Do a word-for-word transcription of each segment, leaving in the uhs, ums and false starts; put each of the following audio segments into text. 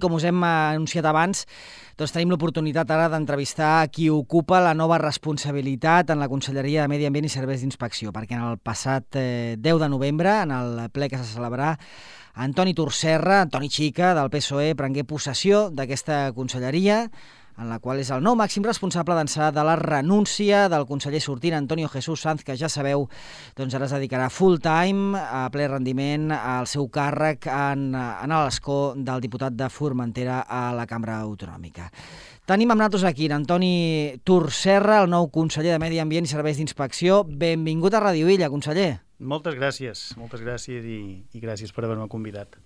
com us hem anunciat abans, doncs tenim l'oportunitat ara d'entrevistar qui ocupa la nova responsabilitat en la Conselleria de Medi Ambient i Serveis d'Inspecció, perquè en el passat eh, deu de novembre, en el ple que se celebrarà, Antoni Torserra, Antoni Xica, del P S O E, prengué possessió d'aquesta conselleria, en la qual és el nou màxim responsable d'ençà de la renúncia del conseller sortint Antonio Jesús Sanz, que ja sabeu, doncs ara es dedicarà full time, a ple rendiment, al seu càrrec en, en l'escó del diputat de Formentera a la Cambra Autonòmica. Tenim amb nosaltres aquí Antoni Torserra, el nou conseller de Medi Ambient i Serveis d'Inspecció. Benvingut a Ràdio Illa, conseller. Moltes gràcies, moltes gràcies i, i gràcies per haver-me convidat.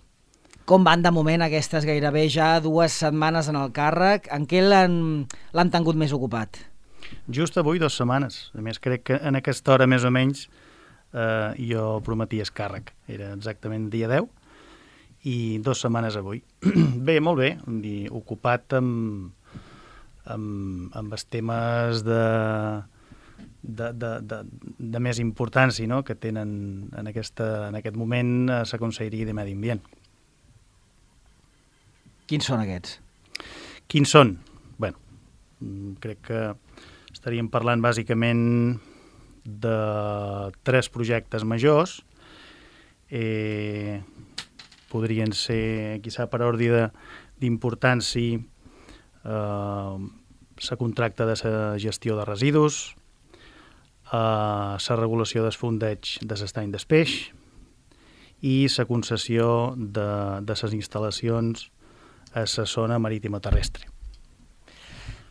Com van de moment aquestes gairebé ja dues setmanes en el càrrec? En què l'han l'han tingut més ocupat? Just avui dues setmanes. A més, crec que en aquesta hora més o menys eh, jo prometia el càrrec. Era exactament dia deu i dues setmanes avui. Bé, molt bé. Dir, ocupat amb, amb, amb els temes de, de, de, de, de més importància, no?, que tenen en, aquesta, en aquest moment a la Conselleria de Medi Ambient. Quins són aquests? Quins són? Bé, crec que estaríem parlant bàsicament de tres projectes majors. Eh, podrien ser, quizà per ordre d'importància, eh, la contracta de la gestió de residus, eh, la regulació del fondeig de l'estany del peix i la concessió de, de les instal·lacions a la zona marítima terrestre.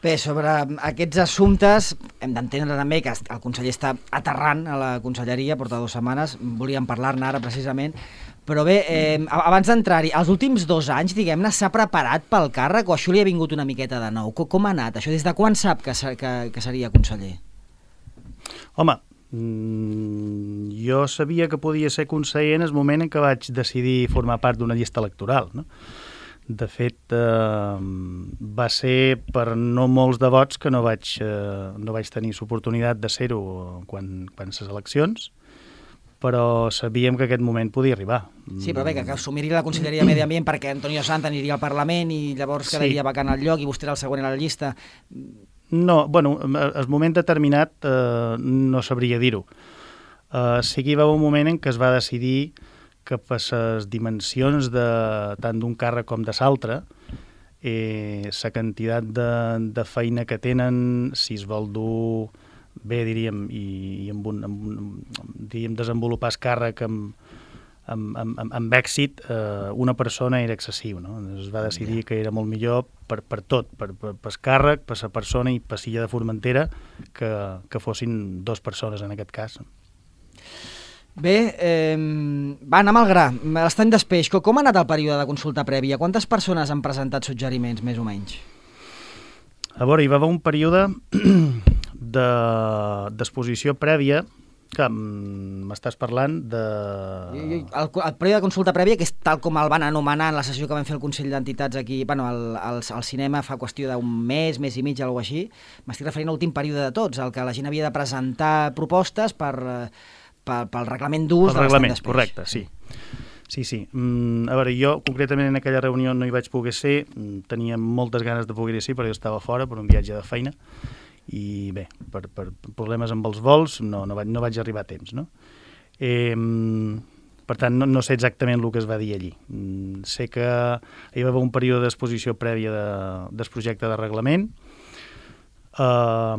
Bé, sobre aquests assumptes hem d'entendre també que el conseller està aterrant a la conselleria, porta dues setmanes, volíem parlar-ne ara precisament, però bé, eh, abans d'entrar-hi, els últims dos anys, diguem-ne, s'ha preparat pel càrrec o això li ha vingut una miqueta de nou? Com ha anat això? Des de quan sap que, que, que seria conseller? Home, mmm, jo sabia que podia ser conseller en el moment en què vaig decidir formar part d'una llista electoral, no? De fet, eh, va ser per no molts de vots que no vaig, eh, no vaig tenir l'oportunitat de ser-ho quan, quan les eleccions, però sabíem que aquest moment podia arribar. Sí, però bé, que, que assumiria la Conselleria de Medi Ambient perquè Antonio Sanz aniria al Parlament i llavors quedaria sí. vacant el lloc i vostè era el següent a la llista. No, bueno, al moment determinat eh, no sabria dir-ho. Eh, sí que hi va haver un moment en què es va decidir que per les dimensions de, tant d'un càrrec com de l'altre, eh, la quantitat de, de feina que tenen, si es vol dur bé, diríem, i, i amb un, amb un, diríem, desenvolupar el càrrec amb, amb, amb, amb èxit, eh, una persona era excessiu, no? Es va decidir que era molt millor per, per tot, per, per, per el càrrec, per la persona i per l'illa de Formentera, que, que fossin dues persones en aquest cas. Bé, eh, va, anem al gra. L'estany del peix, com ha anat el període de consulta prèvia? Quantes persones han presentat suggeriments, més o menys? A veure, hi va haver un període d'exposició prèvia, que m'estàs parlant de... El, el període de consulta prèvia, que és tal com el van anomenar en la sessió que vam fer el Consell d'Entitats aquí, bueno, al, al, al cinema fa qüestió d'un mes, mes i mig, alguna cosa així. M'estic referint a l'últim període de tots, el que la gent havia de presentar propostes per... pel, pel reglament d'ús de l'estany d'espeix. Correcte, sí. Sí, sí. Mm, a veure, jo concretament en aquella reunió no hi vaig poder ser, tenia moltes ganes de poder ser, però jo estava fora per un viatge de feina i bé, per, per problemes amb els vols no, no, vaig, no vaig arribar a temps, no? Eh, per tant, no, no sé exactament el que es va dir allí. Mm, sé que hi va haver un període d'exposició prèvia de, del projecte de reglament, eh,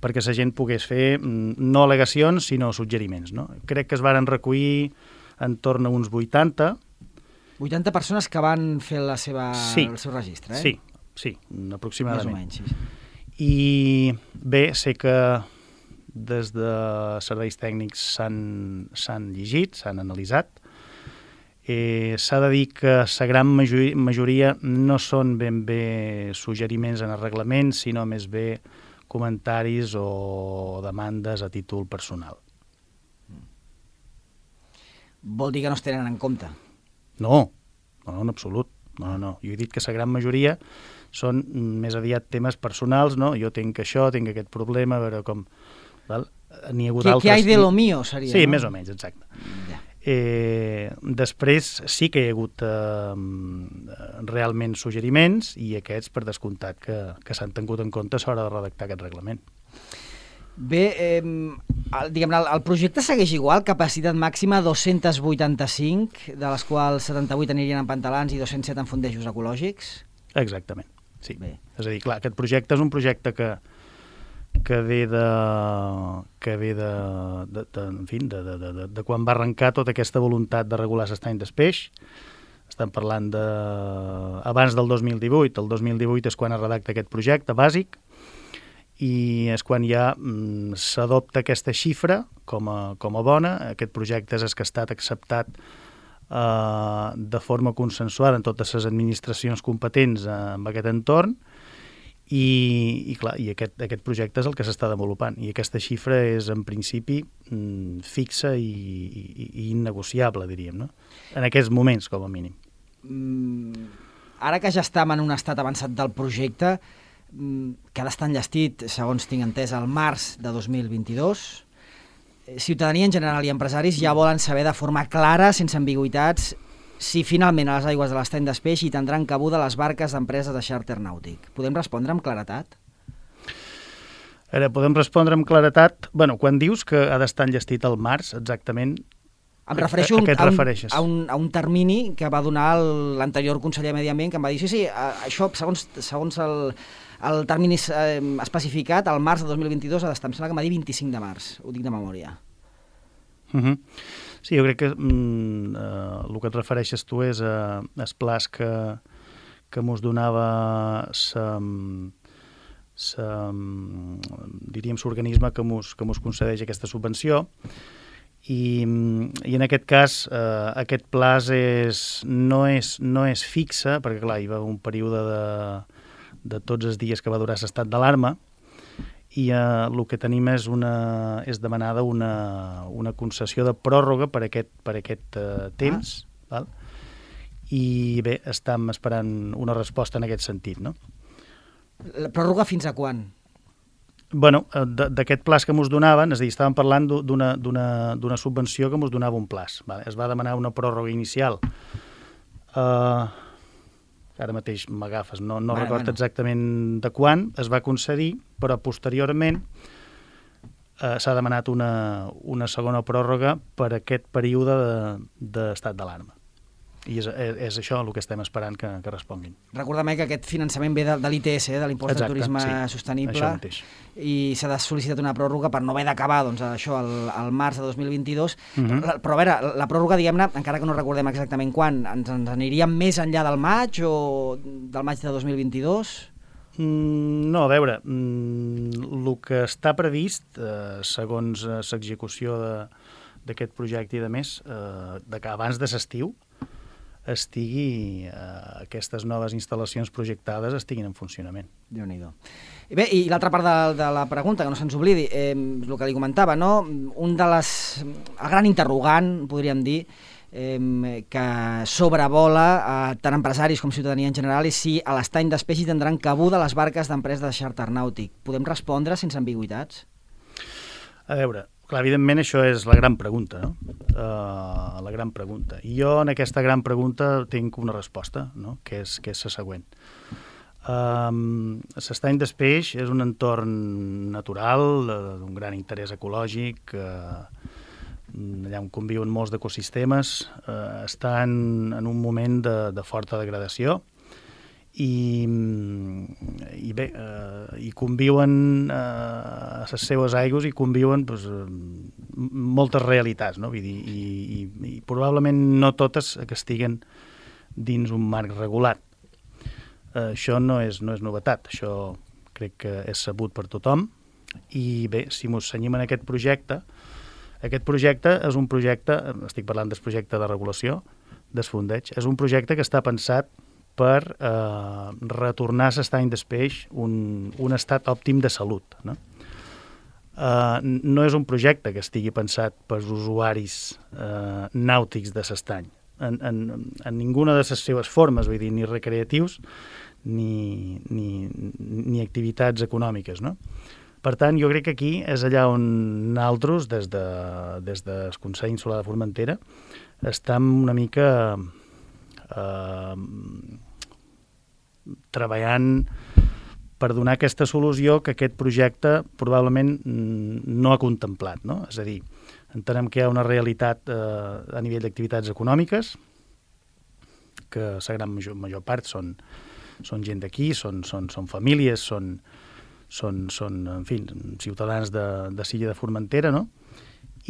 perquè la gent pogués fer no al·legacions, sinó suggeriments, no? Crec que es varen recollir en torn a uns vuitanta. vuitanta persones que van fer la seva, sí, el seu registre, eh? Sí, sí, aproximadament. Més o menys, sí. I bé, sé que des de serveis tècnics s'han llegit, s'han analitzat. Eh, S'ha de dir que la gran majoria, majoria no són ben bé suggeriments en el reglament, sinó més bé comentaris o demandes a títol personal. Vol dir que no es tenen en compte? No, no, en absolut. No, no. Jo he dit que la gran majoria són més aviat temes personals, no? Jo tinc això, tinc aquest problema, a veure com... Val? N'hi ha hagut ¿Qué, altres... ¿Qué hay de lo mío, seria? Sí, no? més o menys, exacte. Ja. Eh, després sí que hi ha hagut eh, realment suggeriments i aquests, per descomptat, que, que s'han tingut en compte a l'hora de redactar aquest reglament. Bé, eh, el, diguem-ne, el, el projecte segueix igual, capacitat màxima dos-cents vuitanta-cinc, de les quals setanta-vuit anirien en pantalans i dos-cents set en fondejos ecològics? Exactament, sí. Bé. És a dir, clar, aquest projecte és un projecte que que ve de, que ve de, de, de, en fi, de, de, de, de quan va arrencar tota aquesta voluntat de regular l'estany d'espeix. Estem parlant de abans del dos mil divuit. El dos mil divuit és quan es redacta aquest projecte bàsic i és quan ja mm, s'adopta aquesta xifra com a, com a bona. Aquest projecte és el que ha estat acceptat eh, de forma consensuada en totes les administracions competents eh, en aquest entorn. I, i clar, i aquest, aquest projecte és el que s'està desenvolupant i aquesta xifra és en principi mm, fixa i, i, i innegociable, diríem, no? En aquests moments, com a mínim. Mm, ara que ja estem en un estat avançat del projecte, mm, que ha d'estar enllestit, segons tinc entès, al març de dos mil vint-i-dos, ciutadania en general i empresaris ja volen saber de forma clara, sense ambigüitats, si finalment a les aigües de l'estany d'Espeix hi tindran cabuda les barques d'empreses de xàrter nàutic. Podem respondre amb claretat? Ara, podem respondre amb claretat... Bueno, quan dius que ha d'estar enllestit al març, exactament... Em refereixo a, a, a, a, un, a, un, a un termini que va donar l'anterior conseller de Medi Ambient, que em va dir, sí, sí, això, segons, segons el, el termini eh, especificat, al març de dos mil vint-i-dos ha d'estar, em sembla que em va dir vint-i-cinc de març, ho dic de memòria. Uh -huh. Sí, jo crec que mm, eh, el que et refereixes tu és a eh, els plans que, que mos donava sa, sa, diríem, l'organisme que mos, que mos concedeix aquesta subvenció i, i en aquest cas eh, aquest pla és, no, és, no és fixe, perquè clar, hi va un període de, de tots els dies que va durar l'estat d'alarma i eh, el que tenim és, una, és demanada una, una concessió de pròrroga per aquest, per aquest eh, temps, ah. val? I bé, estem esperant una resposta en aquest sentit, no? La pròrroga fins a quan? Bueno, d'aquest plaç que mos donaven, és a dir, estàvem parlant d'una, d'una, d'una subvenció que mos donava un plaç. Vale? Es va demanar una pròrroga inicial. Uh, ara mateix m'agafes, no, no vale, recordo bueno. exactament de quan es va concedir, però posteriorment uh, s'ha demanat una, una segona pròrroga per aquest període d'estat de, d'alarma. I és, és, és això el que estem esperant que, que responguin. Recordem que aquest finançament ve de, de l'I T S, eh, de l'Impost de Turisme sí, Sostenible, i s'ha de sol·licitar una pròrroga per no haver d'acabar doncs, això el, el març de dos mil vint-i-dos. Uh -huh. però, però a veure, la pròrroga, diguem-ne, encara que no recordem exactament quan, ens, ens aniríem més enllà del maig o del maig de dos mil vint-i-dos? Mm, no, a veure, mm, el que està previst, eh, segons eh, l'execució d'aquest projecte i de més, eh, de que abans de l'estiu, estigui, eh, aquestes noves instal·lacions projectades estiguin en funcionament. Déu-n'hi-do. I bé, i l'altra part de, de la pregunta, que no se'ns oblidi, eh, el que li comentava, no? Un de les... el gran interrogant, podríem dir, eh, que sobrevola eh, tant empresaris com ciutadania en general, és si a l'estany d'Espeix hi tindran cabuda les barques d'empreses de xàrter nàutic. Podem respondre sense ambigüitats? A veure, clar, evidentment això és la gran pregunta, no? Uh, la gran pregunta. I jo en aquesta gran pregunta tinc una resposta, no? que, és, que és la següent. Um, l'estany d'Espeix és un entorn natural d'un gran interès ecològic, uh, allà on conviuen molts d'ecosistemes, uh, està en, en un moment de, de forta degradació, i, i bé, eh, hi conviuen eh, a les seves aigües i conviuen doncs, moltes realitats, no? Vull dir, i, i, i probablement no totes que estiguen dins un marc regulat. Eh, això no és, no és novetat, això crec que és sabut per tothom, i bé, si mos cenyim en aquest projecte, aquest projecte és un projecte, estic parlant del projecte de regulació, del fondeig, és un projecte que està pensat per eh, retornar a l'estany d'Espeix un, un estat òptim de salut. No? Eh, no és un projecte que estigui pensat pels usuaris eh, nàutics de l'estany, en, en, en ninguna de les seves formes, vull dir, ni recreatius ni, ni, ni activitats econòmiques, no? Per tant, jo crec que aquí és allà on nosaltres, des de, des del Consell Insular de Formentera, estem una mica eh, treballant per donar aquesta solució que aquest projecte probablement no ha contemplat, no? És a dir, entenem que hi ha una realitat eh, a nivell d'activitats econòmiques, que la gran major, major part són, són gent d'aquí, són, són, són famílies, són, són, són en fi, ciutadans de, de Silla de Formentera, no?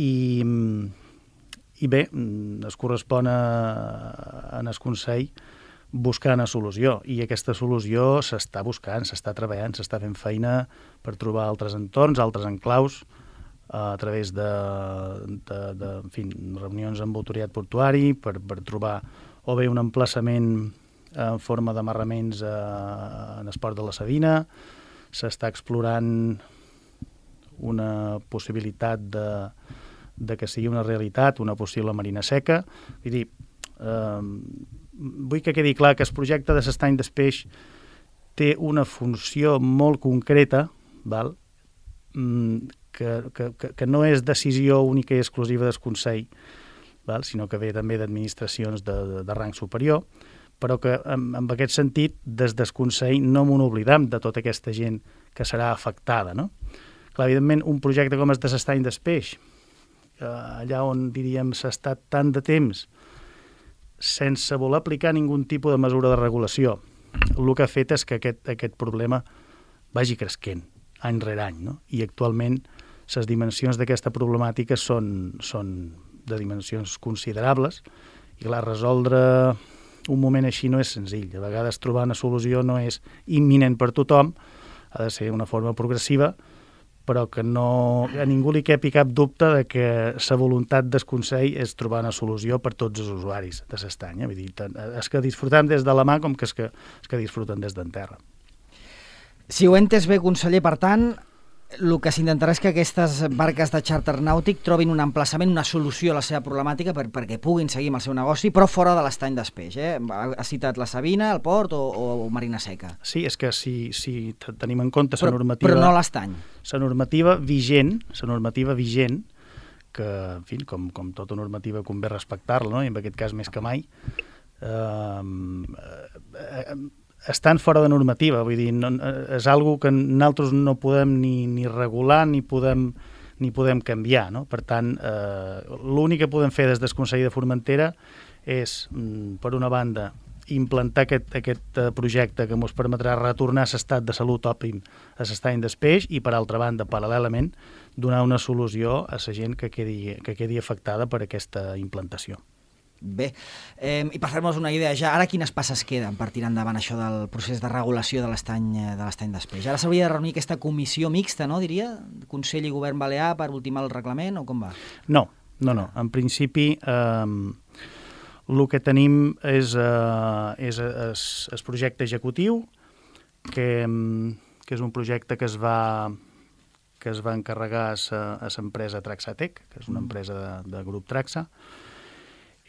I, i bé, es correspon a, a el Consell buscar una solució, i aquesta solució s'està buscant, s'està treballant, s'està fent feina per trobar altres entorns, altres enclaus, a través de, de, de en fi, reunions amb autoritat portuari, per, per trobar o bé un emplaçament en forma d'amarraments en el port de la Sabina, s'està explorant una possibilitat de, de que sigui una realitat, una possible marina seca. Vull dir, eh, vull que quedi clar que el projecte de l'estany del peix té una funció molt concreta, val? Que, que, que no és decisió única i exclusiva del Consell, val? Sinó que ve també d'administracions de, de, de rang superior, però que en, en aquest sentit, des del Consell no m'ho oblidam de tota aquesta gent que serà afectada, no? Clar, evidentment, un projecte com el de l'estany del peix, allà on, diríem, s'ha estat tant de temps sense voler aplicar ningun tipus de mesura de regulació, el que ha fet és que aquest, aquest problema vagi cresquent any rere any, no? I actualment les dimensions d'aquesta problemàtica són, són de dimensions considerables, i clar, resoldre un moment així no és senzill. A vegades trobar una solució no és imminent per tothom, ha de ser una forma progressiva, però que no, a ningú li quepi cap dubte de que la voluntat del Consell és trobar una solució per tots els usuaris de l'estany. Vull dir, és que disfrutem des de la mà com que és que, és que disfruten des d'en terra. Si ho he entès bé, conseller, per tant, el que s'intentarà és que aquestes barques de xàrter nàutic trobin un emplaçament, una solució a la seva problemàtica per, perquè puguin seguir amb el seu negoci, però fora de l'estany del peix. Eh? Ha citat la Sabina, el port o, o Marina Seca. Sí, és que si, si tenim en compte la normativa... Però no l'estany. La normativa vigent, la normativa vigent, que, en fi, com, com tota normativa convé respectar-la, no? I en aquest cas més que mai, eh, eh, estan fora de normativa, vull dir, no, és algo que nosaltres no podem ni, ni regular ni podem, ni podem canviar, no? Per tant, eh, l'únic que podem fer des del Consell de Formentera és, per una banda, implantar aquest, aquest projecte que ens permetrà retornar a l'estat de salut òptim a l'estany del peix i, per altra banda, paral·lelament, donar una solució a la gent que quedi, que quedi afectada per aquesta implantació. Bé, eh, i per fer-nos una idea ja, ara quines passes queden per tirar endavant això del procés de regulació de l'estany de l'estany del peix? Ara s'hauria de reunir aquesta comissió mixta, no, diria? Consell i Govern Balear per ultimar el reglament, o com va? No, no, no. En principi, eh, el que tenim és, eh, és es, es projecte executiu, que, que és un projecte que es va, que es va encarregar a l'empresa Traxatec, que és una empresa de, de grup Traxa.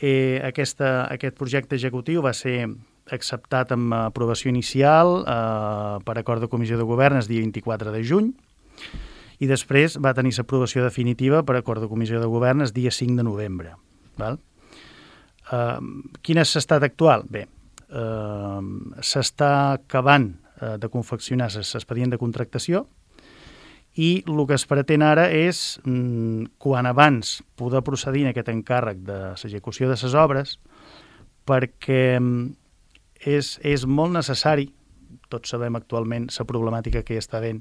Eh, aquesta, aquest projecte executiu va ser acceptat amb aprovació inicial eh, per acord de comissió de govern el dia vint-i-quatre de juny i després va tenir l'aprovació definitiva per acord de comissió de govern el dia cinc de novembre. Val? Eh, quin és l'estat actual? Bé, eh, s'està acabant eh, de confeccionar l'expedient de contractació i el que es pretén ara és, quan abans, poder procedir en aquest encàrrec de l'execució de les obres, perquè és, és molt necessari, tots sabem actualment la problemàtica que hi està havent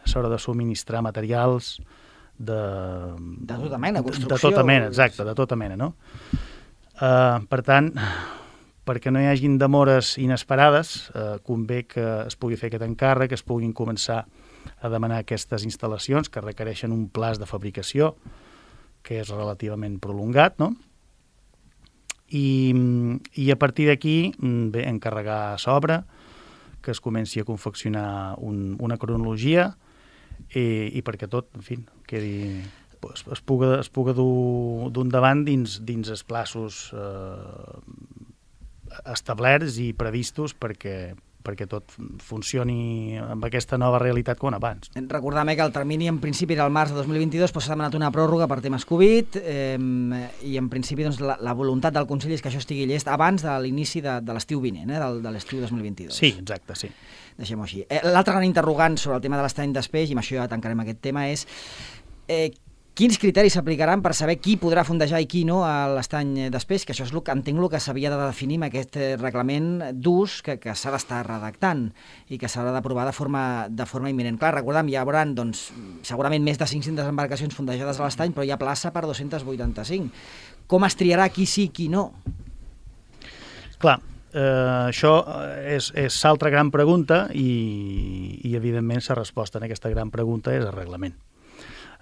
a l'hora de subministrar materials de... De tota mena, construcció. De tota mena, exacte, de tota mena, no? Uh, per tant, perquè no hi hagin demores inesperades, uh, convé que es pugui fer aquest encàrrec, que es puguin començar a demanar aquestes instal·lacions que requereixen un plaç de fabricació que és relativament prolongat, no? I, i a partir d'aquí, bé, encarregar l'obra, que es comenci a confeccionar un, una cronologia i, i perquè tot, en fi, quedi, es, es puga, es puga dur d'un davant dins, dins els plaços eh, establerts i previstos perquè perquè tot funcioni amb aquesta nova realitat com abans. Recordem que el termini en principi era el març de dos mil vint-i-dos, però s'ha demanat una pròrroga per temes Covid eh, i en principi doncs, la, la voluntat del Consell és que això estigui llest abans de l'inici de, de l'estiu vinent, eh, de, de l'estiu dos mil vint-i-dos. Sí, exacte, sí. Deixem-ho així. Eh, L'altre gran interrogant sobre el tema de l'estany d'Espeix, i amb això ja tancarem aquest tema, és eh, quins criteris s'aplicaran per saber qui podrà fondejar i qui no a l'estany d'Espeix, que això és el que entenc el que s'havia de definir amb aquest reglament d'ús que, que s'ha d'estar redactant i que s'haurà d'aprovar de forma, de forma imminent. Clar, recordem, hi haurà doncs, segurament més de cinc-centes embarcacions fondejades a l'estany, però hi ha plaça per dos-cents vuitanta-cinc. Com es triarà qui sí, qui no? Clar, eh, això és, és l'altra gran pregunta i, i evidentment la resposta a aquesta gran pregunta és el reglament.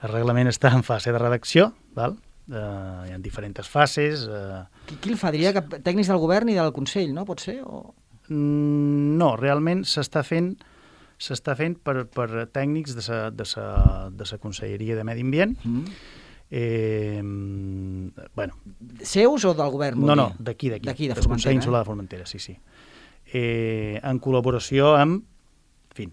El reglament està en fase de redacció, val? Uh, hi ha diferents fases. Uh... Qui, qui el fa? Diria que tècnics del govern i del Consell, no? Pot ser? O... Mm, no, realment s'està fent s'està fent per, per tècnics de sa, de sa, de sa Conselleria de Medi Ambient. Mm. Eh, bueno. Seus o del govern? No, no, d'aquí, d'aquí. D'aquí, de del Consell Insular eh? de Formentera, sí, sí. Eh, en col·laboració amb, en fi,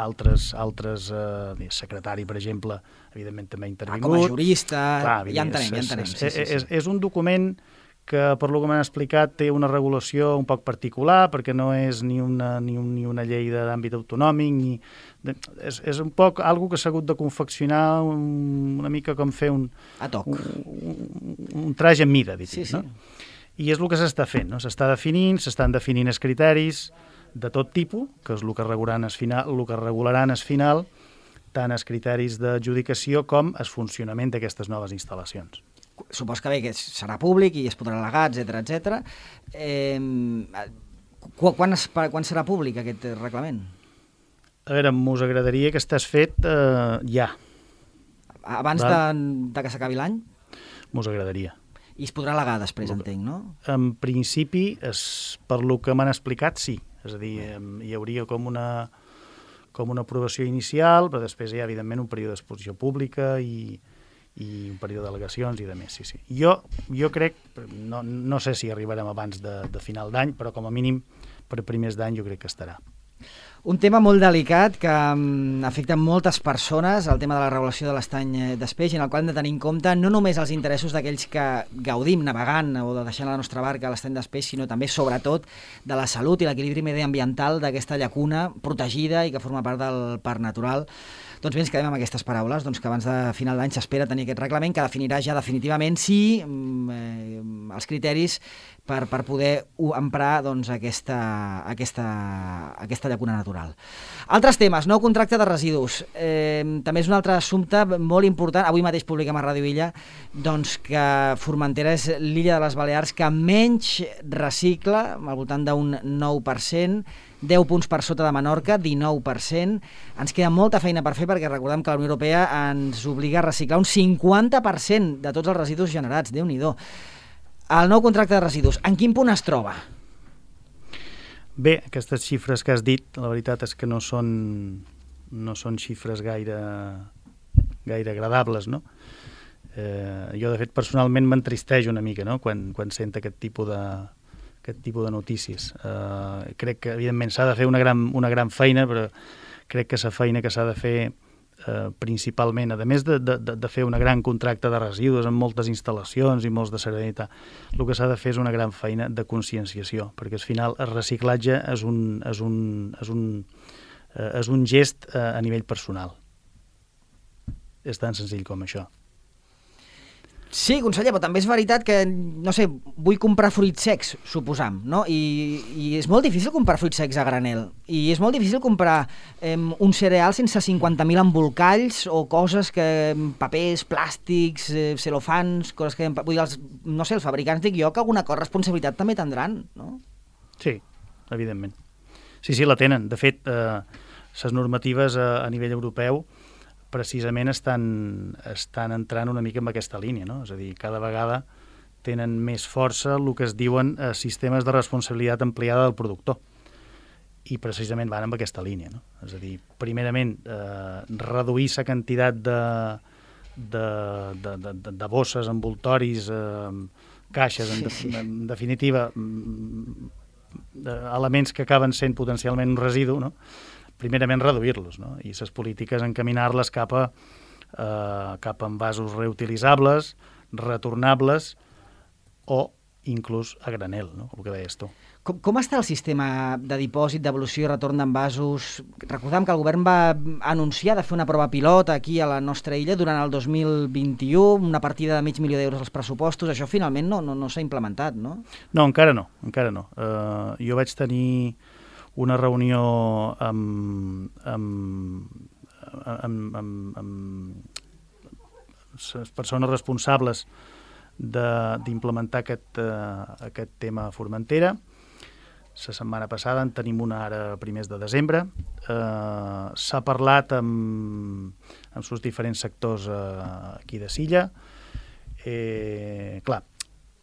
altres, altres eh, secretari, per exemple, evidentment també ha intervingut. Ah, com a jurista, clar, ja entenem, ja entenem. És, sí, sí, sí. és, és un document que, per lo que m'han explicat, té una regulació un poc particular, perquè no és ni una, ni un, ni una llei d'àmbit autonòmic, ni... De, és, és un poc algo que s'ha hagut de confeccionar un, una mica com fer un... A toc. Un, un, un traje en mida, dit, sí, sí. no? I és el que s'està fent, no? S'està definint, s'estan definint els criteris de tot tipus, que és el que regularan es final, el que regularan es final, tant els criteris d'adjudicació com el funcionament d'aquestes noves instal·lacions. Supos que bé que serà públic i es podrà al·legar, etcètera, etcètera. Eh, quan, es, quan serà públic aquest reglament? A veure, m'us agradaria que estàs fet eh, ja. Abans de, de que s'acabi l'any? M'us agradaria. I es podrà al·legar després, entenc, no? En principi, es, per lo que m'han explicat, sí. És a dir, hi hauria com una, com una aprovació inicial, però després hi ha, evidentment, un període d'exposició pública i, i un període d'al·legacions i de més, sí, sí. Jo, jo crec, no, no sé si arribarem abans de, de final d'any, però com a mínim per primers d'any jo crec que estarà. Un tema molt delicat que um, afecta moltes persones, el tema de la regulació de l'estany d'Espeix, en el qual hem de tenir en compte no només els interessos d'aquells que gaudim navegant o de deixant la nostra barca a l'estany d'Espeix, sinó també, sobretot, de la salut i l'equilibri mediambiental d'aquesta llacuna protegida i que forma part del parc natural. Doncs bé, ens quedem amb aquestes paraules, doncs que abans de final d'any s'espera tenir aquest reglament que definirà ja definitivament sí eh, els criteris per, per poder emprar doncs, aquesta, aquesta, aquesta llacuna natural. Altres temes, nou contracte de residus. Eh, també és un altre assumpte molt important. Avui mateix publiquem a Ràdio Illa doncs, que Formentera és l'illa de les Balears que menys recicla, al voltant d'un nou per cent, deu punts per sota de Menorca, dinou per cent. Ens queda molta feina per fer perquè recordem que la Unió Europea ens obliga a reciclar un cinquanta per cent de tots els residus generats. Déu-n'hi-do. El nou contracte de residus, en quin punt es troba? Bé, aquestes xifres que has dit, la veritat és que no són, no són xifres gaire, gaire agradables, no? Eh, jo, de fet, personalment m'entristeix una mica, no?, quan, quan sent aquest tipus de, aquest tipus de notícies. Eh, crec que, evidentment, s'ha de fer una gran, una gran feina, però crec que la feina que s'ha de fer eh, principalment, a més de, de, de fer una gran contracte de residus amb moltes instal·lacions i molts de serenitat, el que s'ha de fer és una gran feina de conscienciació, perquè al final el reciclatge és un, és un, és un, eh, és un gest eh, a nivell personal. És tan senzill com això. Sí, conseller, però també és veritat que, no sé, vull comprar fruits secs, suposam, no? I, i és molt difícil comprar fruits secs a granel. I és molt difícil comprar eh, un cereal sense cinquanta mil embolcalls o coses que, papers, plàstics, eh, celofans, coses que... Vull dir, els, no sé, els fabricants, dic jo, que alguna cosa responsabilitat també tindran, no? Sí, evidentment. Sí, sí, la tenen. De fet, eh, les normatives a, a nivell europeu precisament estan, estan entrant una mica en aquesta línia, no? És a dir, cada vegada tenen més força el que es diuen eh, sistemes de responsabilitat ampliada del productor. I precisament van amb aquesta línia, no? És a dir, primerament, eh, reduir la quantitat de, de, de, de, de bosses, envoltoris, eh, caixes, en, de, en definitiva, elements que acaben sent potencialment un residu, no? Primerament reduir-los, no? I les polítiques encaminar-les cap a, eh, cap a envasos reutilitzables, retornables o inclús a granel, no? El que deies tu. Com, com està el sistema de dipòsit, devolució i retorn d'envasos? Recordem que el govern va anunciar de fer una prova pilot aquí a la nostra illa durant el dos mil vint-i-u, una partida de mig milió d'euros als pressupostos. Això finalment no, no, no s'ha implementat, no? No, encara no, encara no. Uh, jo vaig tenir una reunió amb, amb, amb, amb, amb les persones responsables d'implementar aquest, uh, aquest tema a Formentera. La setmana passada en tenim una ara a primers de desembre. Uh, S'ha parlat amb, amb els diferents sectors uh, aquí de Silla. Eh, clar,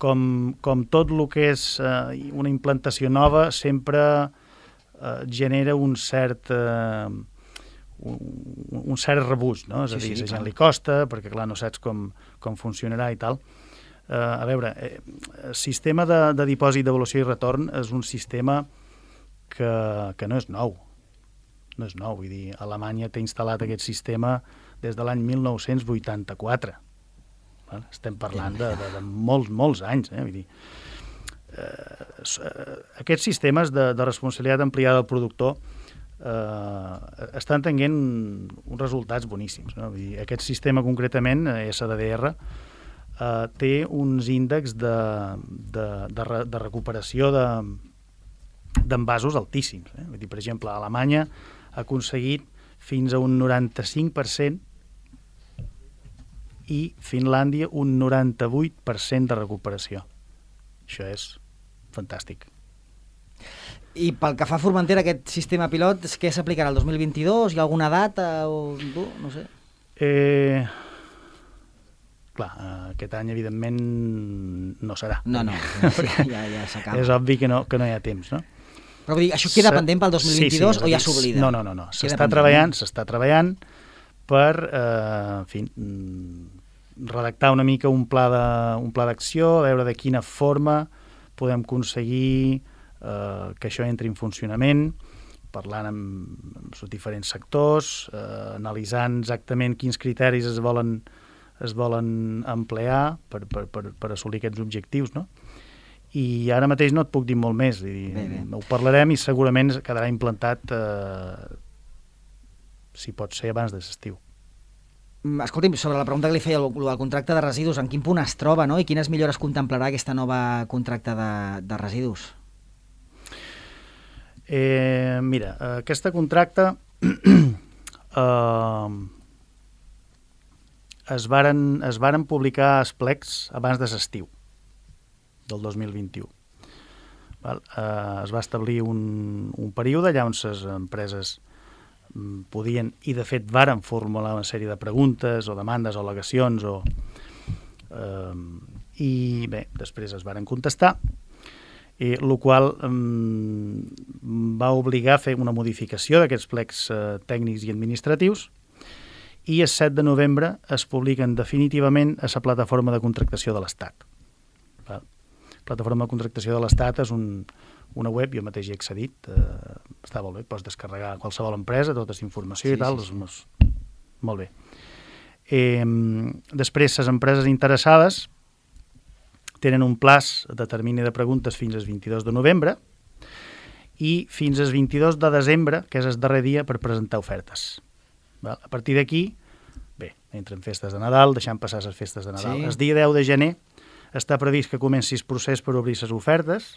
com, com tot el que és uh, una implantació nova, sempre uh, genera un cert... Uh, un, un cert rebuig, no? És a dir, sí, sí, a la gent li costa, perquè clar, no saps com, com funcionarà i tal. Uh, a veure, eh, el sistema de, de dipòsit, devolució i retorn és un sistema que, que no és nou. No és nou, vull dir, Alemanya té instal·lat aquest sistema des de l'any mil nou-cents vuitanta-quatre. Val? Estem parlant de, de, de molts, molts anys, eh? Vull dir, eh, aquests sistemes de, de responsabilitat ampliada del productor eh, estan tenint uns resultats boníssims, no? Vull dir, aquest sistema concretament, S D D R, eh, té uns índexs de, de, de, re, de recuperació de, d'envasos altíssims. Eh? Vull dir, per exemple, Alemanya ha aconseguit fins a un noranta-cinc per cent i Finlàndia un noranta-vuit per cent de recuperació. Això és fantàstic. I pel que fa a Formentera, aquest sistema pilot, què s'aplicarà el dos mil vint-i-dos? Hi ha alguna data? O... no sé. Eh... Clar, aquest any, evidentment, no serà. No, no, ja, ja s'acaba. És obvi que no, que no hi ha temps, no? Però vull dir, això queda pendent pel dos mil vint-i-dos sí, sí, o ja s'oblida? No, no, no, no. S'està treballant, s'està treballant per, eh, en fi, redactar una mica un pla de, un pla d'acció, a veure de quina forma podem aconseguir eh, que això entri en funcionament, parlant amb, amb els diferents sectors, eh, analitzant exactament quins criteris es volen es volen emplear per, per, per, per assolir aquests objectius, no? I ara mateix no et puc dir molt més. Dir, bé, bé. Ho parlarem i segurament quedarà implantat, eh, si pot ser, abans de l'estiu. Escolti'm, sobre la pregunta que li feia, el, el contracte de residus, en quin punt es troba, no? I quines millores contemplarà aquesta nova contracte de, de residus? Eh, mira, aquesta contracte... eh, Es varen, es varen publicar els plecs abans de l'estiu del dos mil vint-i-u. Val? Eh, es va establir un, un període allà on les empreses podien, i de fet varen formular una sèrie de preguntes o demandes o al·legacions o, eh, i bé, després es varen contestar, i el qual eh, va obligar a fer una modificació d'aquests plecs eh, tècnics i administratius, i el set de novembre es publiquen definitivament a la plataforma de contractació de l'Estat. La plataforma de contractació de l'Estat és un, una web, jo mateix hi he accedit, eh, està molt bé, pots descarregar a qualsevol empresa, tota aquesta informació sí, i tal, sí, sí. És, molt bé. Eh, després, les empreses interessades tenen un plaç de termini de preguntes fins al vint-i-dos de novembre i fins al vint-i-dos de desembre, que és el darrer dia per presentar ofertes. A partir d'aquí, bé, entren festes de Nadal, deixant passar les festes de Nadal. Sí. El dia deu de gener està previst que comenci el procés per obrir les ofertes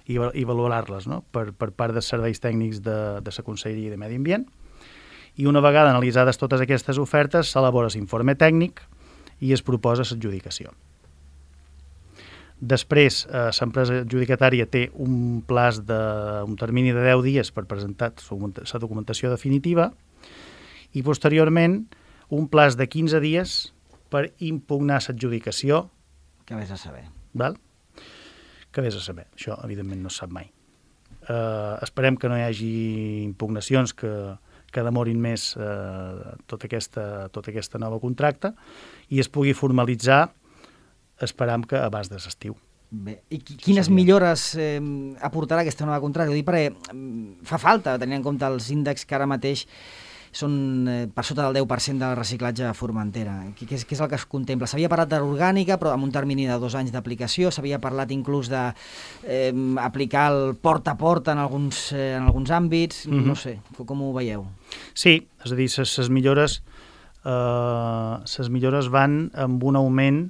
i, i valorar-les, no? per, per part dels serveis tècnics de, de la Conselleria de Medi Ambient. I una vegada analitzades totes aquestes ofertes, s'elabora l'informe tècnic i es proposa l'adjudicació. Després, eh, l'empresa adjudicatària té un plaç de, un termini de deu dies per presentar la documentació definitiva i posteriorment un plaç de quinze dies per impugnar l'adjudicació. Que vés a saber. Val? Que vés a saber. Això, evidentment, no es sap mai. Eh, esperem que no hi hagi impugnacions que, que demorin més eh, tota, aquesta, tota aquesta nova contracte i es pugui formalitzar, esperam que abans de l'estiu. Bé, i quines seria... millores eh, aportarà aquesta nova contracta? Ho dic perquè fa falta, tenint en compte els índexs que ara mateix són eh, per sota del deu per cent del reciclatge a Formentera. Què és, què és el que es contempla? S'havia parlat d'orgànica, però amb un termini de dos anys d'aplicació. S'havia parlat inclús d'aplicar eh, el porta a porta en alguns, eh, en alguns àmbits. Mm-hmm. No sé, com ho veieu? Sí, és a dir, les millores, eh, ses millores van amb un augment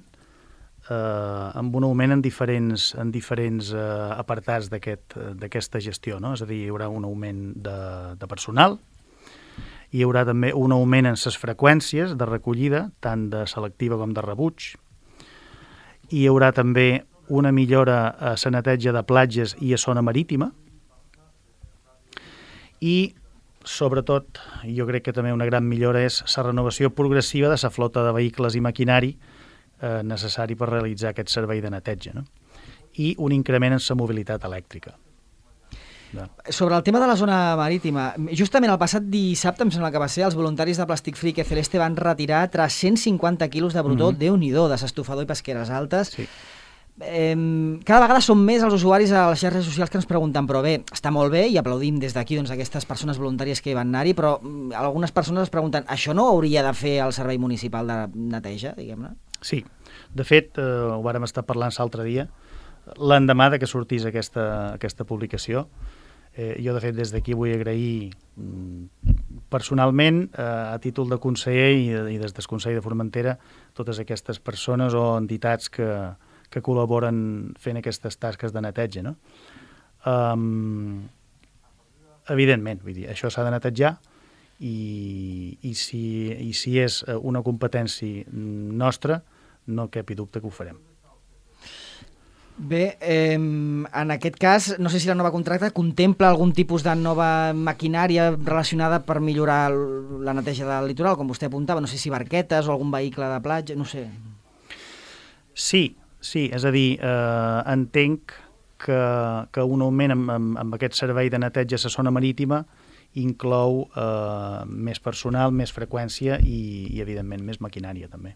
eh, amb un augment en diferents, en diferents eh, apartats d'aquesta aquest, gestió, no? És a dir, hi haurà un augment de, de personal, hi haurà també un augment en les freqüències de recollida, tant de selectiva com de rebuig, hi haurà també una millora a la neteja de platges i a zona marítima, i sobretot, jo crec que també una gran millora és la renovació progressiva de la flota de vehicles i maquinari eh, necessari per realitzar aquest servei de neteja, no? I un increment en la mobilitat elèctrica. No. Sobre el tema de la zona marítima, justament el passat dissabte, em sembla que va ser, els voluntaris de Plastic Free que Celeste van retirar tres-cents cinquanta quilos de brutó, mm-hmm. Déu-n'hi-do, de s'estofador i pesqueres altes. Sí. Eh, cada vegada són més els usuaris a les xarxes socials que ens pregunten, però bé, està molt bé i aplaudim des d'aquí doncs, aquestes persones voluntàries que hi van anar-hi, però algunes persones es pregunten, això no hauria de fer el servei municipal de neteja, diguem-ne? Sí, de fet, eh, ho vàrem estar parlant l'altre dia, l'endemà de que sortís aquesta, aquesta publicació. Eh, jo, de fet, des d'aquí vull agrair mm, personalment, eh, a títol de conseller i, i des del Consell de Formentera, totes aquestes persones o entitats que, que col·laboren fent aquestes tasques de neteja, no? Um, evidentment, vull dir, això s'ha de netejar i, i, si, i si és una competència nostra, no cap dubte que ho farem. Bé, eh, en aquest cas, no sé si la nova contracta contempla algun tipus de nova maquinària relacionada per millorar la neteja del litoral, com vostè apuntava, no sé si barquetes o algun vehicle de platja, no sé. Sí, sí, és a dir, eh, entenc que, que un augment amb, amb, amb aquest servei de neteja a la zona marítima inclou eh, més personal, més freqüència i, i, evidentment, més maquinària també.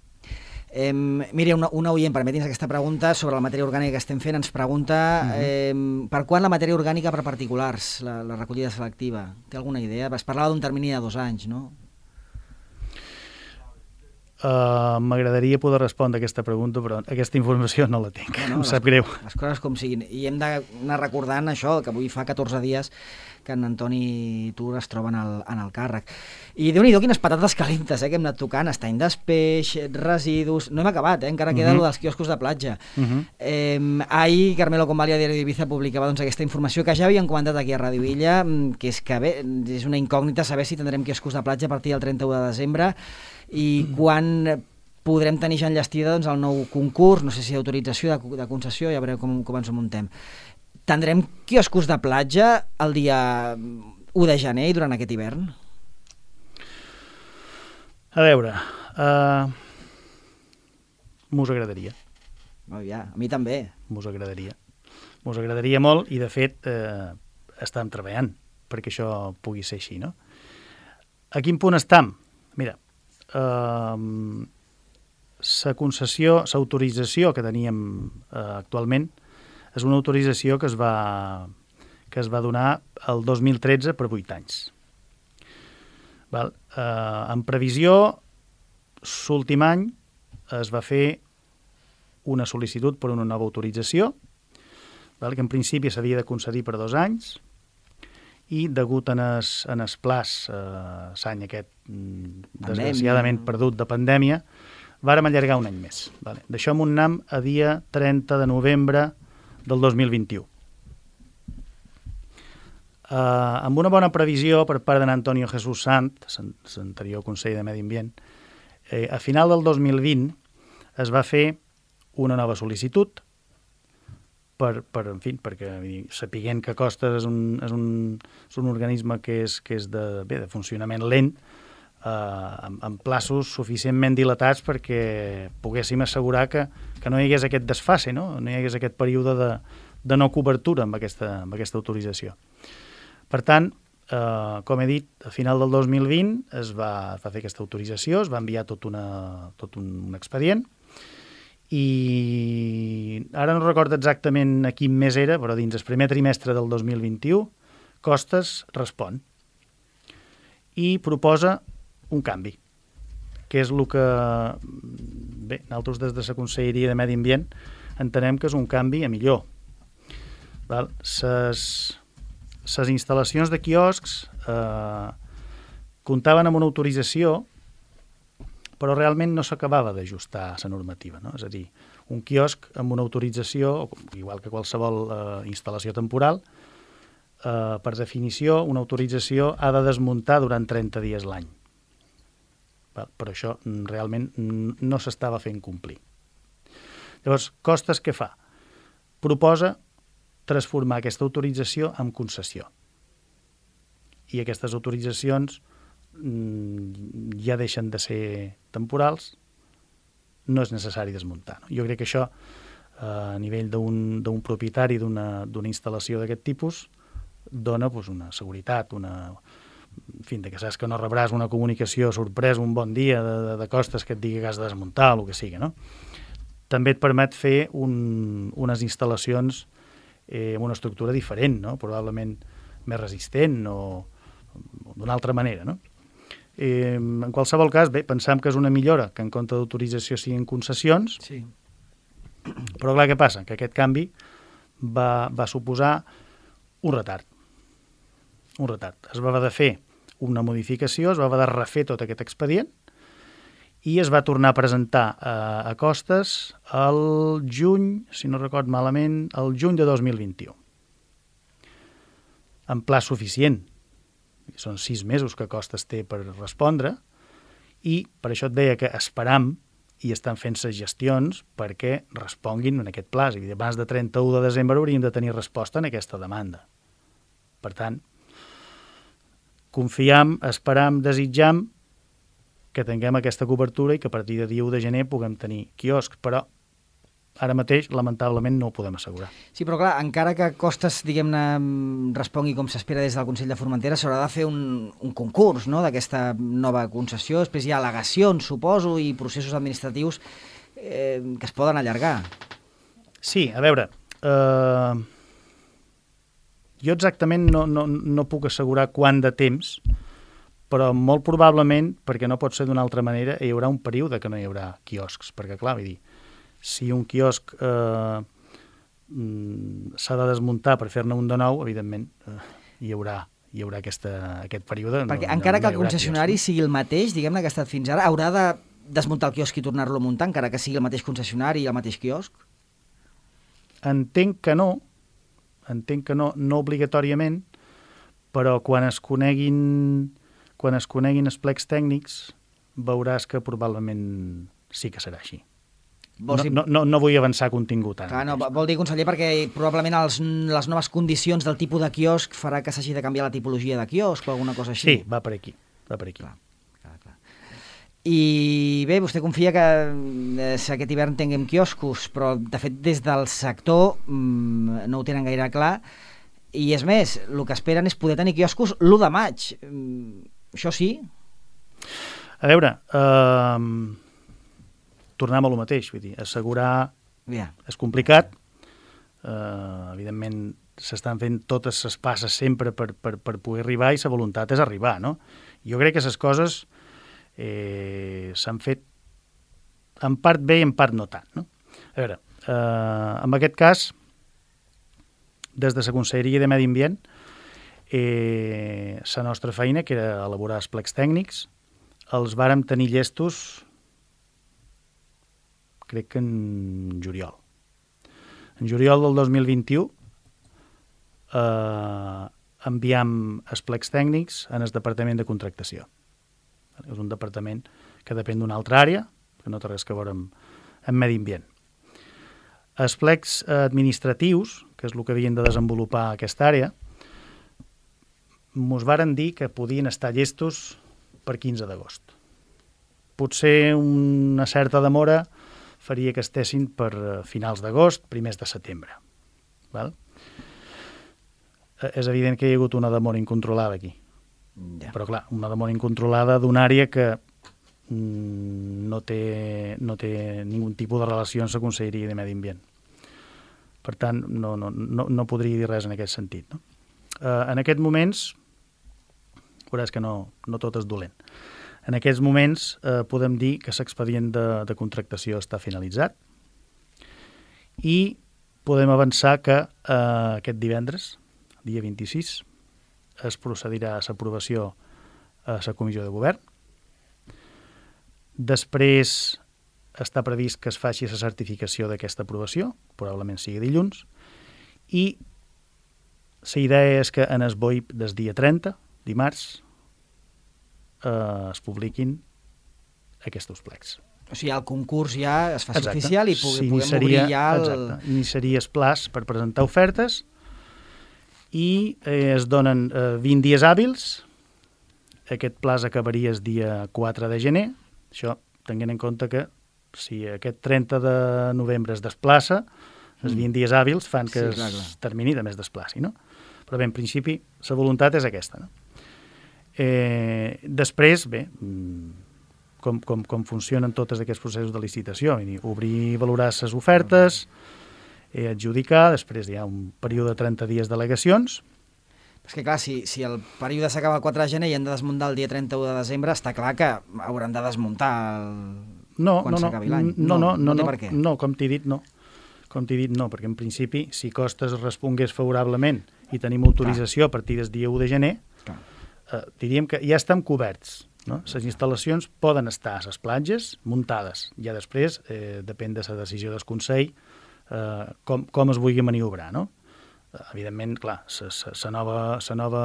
Eh, mira, una, una oient, permeti'ns aquesta pregunta sobre la matèria orgànica que estem fent, ens pregunta uh-huh. eh, per quan la matèria orgànica per particulars, la, la recollida selectiva? Té alguna idea? Es parlava d'un termini de dos anys, no? Uh, M'agradaria poder respondre a aquesta pregunta, però aquesta informació no la tinc, no, no, em sap les, greu. Les coses com siguin. I hem d'anar recordant això, que avui fa catorze dies que en Antoni i tu es troben al, en el càrrec. I Déu-n'hi-do quines patates calentes eh, que hem anat tocant, estany d'espeix, residus... No hem acabat, eh? Encara queda uh-huh. lo dels quioscos de platja. Uh-huh. Eh, ahir Carmelo Convalia, Diari d'Ibiza, publicava doncs, aquesta informació que ja havíem comentat aquí a Ràdio Illa, que és que bé, és una incògnita saber si tindrem quioscos de platja a partir del trenta-u de desembre i quan podrem tenir ja enllestida doncs, el nou concurs, no sé si d'autorització, de, de concessió, ja veureu com, com ens ho muntem. Tindrem quioscos de platja el dia u de gener i durant aquest hivern? A veure, uh, mos agradaria. Oh, ja, a mi també. Mos agradaria. Mos agradaria molt i, de fet, eh, estem treballant perquè això pugui ser així, no? A quin punt estem? Mira, uh, la concessió, l'autorització que teníem uh, actualment és una autorització que es va, que es va donar el dos mil tretze per vuit anys. Val? Eh, en previsió, l'últim any es va fer una sol·licitud per una nova autorització, val? Que en principi s'havia de concedir per dos anys, i degut en es, en es plaç, eh, l'any aquest desgraciadament perdut de pandèmia, vàrem allargar un any més. Vale? D'això m'ho anem a dia trenta de novembre del dos mil vint-i-u. Uh, amb una bona previsió per part d'en Antonio Jesús Sant, l'anterior conseller de Medi Ambient, eh, a final del dos mil vint es va fer una nova sol·licitud per, per en fi, perquè sapiguent que Costes és un, és un, és un organisme que és, que és de, bé, de funcionament lent, eh, amb, amb plaços suficientment dilatats perquè poguéssim assegurar que, que no hi hagués aquest desfase, no? No hi hagués aquest període de, de no cobertura amb aquesta, amb aquesta autorització. Per tant, eh, com he dit, a final del dos mil vint es va, es va fer aquesta autorització, es va enviar tot, una, tot un, un expedient i ara no recordo exactament a quin mes era, però dins el primer trimestre del dos mil vint-i-u, Costas respon i proposa un canvi, que és el que, bé, nosaltres des de la Conselleria de Medi Ambient entenem que és un canvi a millor. Val? Ses, ses instal·lacions de quioscs eh, comptaven amb una autorització, però realment no s'acabava d'ajustar a la normativa, no? És a dir, un quiosc amb una autorització, igual que qualsevol eh, instal·lació temporal, Uh, per definició, una autorització ha de desmuntar durant trenta dies l'any. Però això realment no s'estava fent complir. Llavors, Costas què fa? Proposa transformar aquesta autorització en concessió. I aquestes autoritzacions mm, ja deixen de ser temporals, no és necessari desmuntar. No? Jo crec que això, uh, a nivell d'un d'un propietari d'una d'una instal·lació d'aquest tipus, dona pues, una seguretat, una... en fi, de que saps que no rebràs una comunicació sorpresa un bon dia de, de, de Costas que et digui que has de desmuntar o el que sigui, no? També et permet fer un, unes instal·lacions eh, amb una estructura diferent, no? Probablement més resistent o, o d'una altra manera, no? Eh, en qualsevol cas, bé, pensam que és una millora que en compte d'autorització siguin concessions, sí. Però clar, què passa? Que aquest canvi va, va suposar un retard. Un retard. Es va haver de fer una modificació, es va haver de refer tot aquest expedient i es va tornar a presentar a, a Costas el juny, si no record malament, el juny de dos mil vint-i-u. En pla suficient. Són sis mesos que Costas té per respondre i per això et deia que esperam i estan fent les gestions perquè responguin en aquest pla. És a dir, abans de trenta-u de desembre hauríem de tenir resposta en aquesta demanda. Per tant, confiam, esperam, desitjam que tinguem aquesta cobertura i que a partir de dia u de gener puguem tenir quioscs, però ara mateix, lamentablement, no ho podem assegurar. Sí, però clar, encara que Costas, diguem-ne, respongui com s'espera des del Consell de Formentera, s'haurà de fer un, un concurs, no?, d'aquesta nova concessió. Després hi ha al·legacions, suposo, i processos administratius eh, que es poden allargar. Sí, a veure, eh, jo exactament no, no, no puc assegurar quant de temps, però molt probablement, perquè no pot ser d'una altra manera, hi haurà un període que no hi haurà quioscs, perquè clar, vull dir, si un quiosc eh, s'ha de desmuntar per fer-ne un de nou, evidentment eh, hi haurà, hi haurà aquesta, aquest període. Perquè no, encara no, que no el concessionari quiosc, sigui el mateix, diguem-ne que ha estat fins ara, haurà de desmuntar el quiosc i tornar-lo a muntar, encara que sigui el mateix concessionari i el mateix quiosc? Entenc que no, entenc que no, no obligatòriament, però quan es coneguin, quan es coneguin els plecs tècnics veuràs que probablement sí que serà així. No, no, no, no vull avançar contingut ara. Clar, no, vol dir, conseller, perquè probablement els, les noves condicions del tipus de quiosc farà que s'hagi de canviar la tipologia de quiosc o alguna cosa així. Sí, va per aquí. Va per aquí. Clar, clar, clar. I bé, vostè confia que eh, aquest hivern tinguem quioscos, però de fet des del sector mmm, no ho tenen gaire clar. I és més, el que esperen és poder tenir quioscos l'u de maig. Mm, això sí? A veure... Uh... tornem a lo mateix, vull dir, assegurar yeah. és complicat, uh, evidentment s'estan fent totes les passes sempre per, per, per poder arribar i la voluntat és arribar, no? Jo crec que les coses eh, s'han fet en part bé i en part no tant, no? A veure, uh, en aquest cas, des de la Conselleria de Medi Ambient, eh, la nostra feina, que era elaborar els plecs tècnics, els vàrem tenir llestos crec que en juliol. En juliol del dos mil vint-i-u eh, enviam els plecs tècnics en el Departament de Contractació. És un departament que depèn d'una altra àrea, que no té res a veure amb, amb medi ambient. Els plecs administratius, que és el que havien de desenvolupar aquesta àrea, mos varen dir que podien estar llestos per quinze d'agost. Potser una certa demora faria que estessin per finals d'agost, primers de setembre. Val? És evident que hi ha hagut una demora incontrolada aquí. Ja. Però clar, una demora incontrolada d'una àrea que no té, no té ningun tipus de relació amb la Conselleria de Medi Ambient. Per tant, no, no, no, no podria dir res en aquest sentit. No? Uh, en aquests moments, veuràs que no, no tot és dolent. En aquests moments eh, podem dir que l'expedient de, de contractació està finalitzat i podem avançar que eh, aquest divendres, dia vint-i-sis, es procedirà a l'aprovació a la Comissió de Govern. Després està previst que es faci la certificació d'aquesta aprovació, probablement sigui dilluns, i la idea és que en el B O I P del dia trenta, dimarts, eh, es publiquin aquests plecs. O sigui, el concurs ja es fa Exacte. oficial i pugui, puguem Iniciaria, obrir ja el... Exacte. Iniciaria el plaç per presentar ofertes i eh, es donen eh, vint dies hàbils. Aquest plaç acabaria el dia quatre de gener. Això tenint en compte que si aquest trenta de novembre es desplaça, els vint dies hàbils fan que Sí, clar, clar. es termini també es desplaci, no? Però bé, en principi, la voluntat és aquesta, no? Eh, després, bé, com, com, com funcionen tots aquests processos de licitació, vull dir, obrir i valorar les ofertes, eh, adjudicar, després hi ha un període de trenta dies d'al·legacions. És que clar, si, si el període s'acaba el quatre de gener i han de desmuntar el dia trenta-u de desembre, està clar que hauran de desmuntar el... No, quan no, no, s'acabi l'any. no, no, no, no, té no, per què. no, com t'he dit, no. Com t'he dit, no, perquè en principi, si Costes respongués favorablement i tenim autorització a partir del dia u de gener, Clar. eh, diríem que ja estem coberts. No? Les instal·lacions poden estar a les platges muntades. Ja després, eh, depèn de la decisió del Consell, eh, com, com es vulgui maniobrar. No? Eh, evidentment, clar, la nova, nova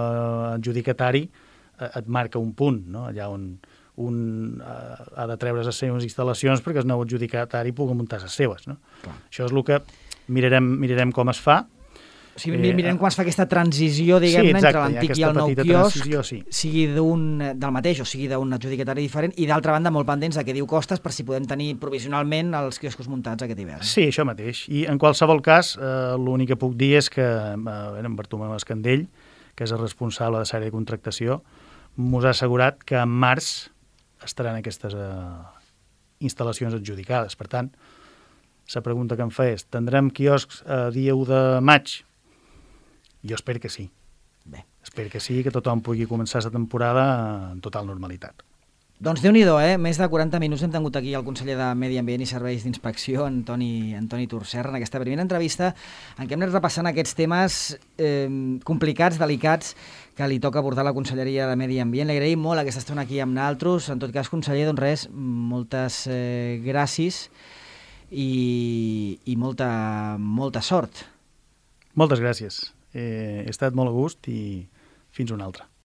adjudicatari eh, et marca un punt, no? Allà on un eh, ha de treure les seves instal·lacions perquè el nou adjudicatari pugui muntar les seves. No? Clar. Això és el que mirarem, mirarem com es fa. O sigui, mirem quan es fa aquesta transició, diguem-ne, sí, exacte, entre l'antic i el nou quiosc, sí. sigui d'un del mateix o sigui d'un adjudicatari diferent, i d'altra banda molt pendents de què diu Costes per si podem tenir provisionalment els quioscos muntats aquest hivern. Sí, això mateix. I en qualsevol cas, eh, l'únic que puc dir és que eh, en Bartomeu Escandell, que és el responsable de l'àrea de contractació, mos ha assegurat que en març estaran aquestes eh, instal·lacions adjudicades. Per tant, la pregunta que em fa és, tindrem quioscs a dia u de maig? Jo espero que sí. Bé. Espero que sí, que tothom pugui començar la temporada en total normalitat. Doncs Déu-n'hi-do, eh? Més de quaranta minuts hem tingut aquí el conseller de Medi Ambient i Serveis d'Inspecció, Antoni, Antoni Turserra, en aquesta primera entrevista en què hem anat repassant aquests temes eh, complicats, delicats, que li toca abordar la Conselleria de Medi Ambient. Li agraïm molt aquesta estona aquí amb naltros. En tot cas, conseller, doncs res, moltes eh, gràcies i, i molta, molta sort. Moltes gràcies. Eh, he estat molt a gust i fins una altra.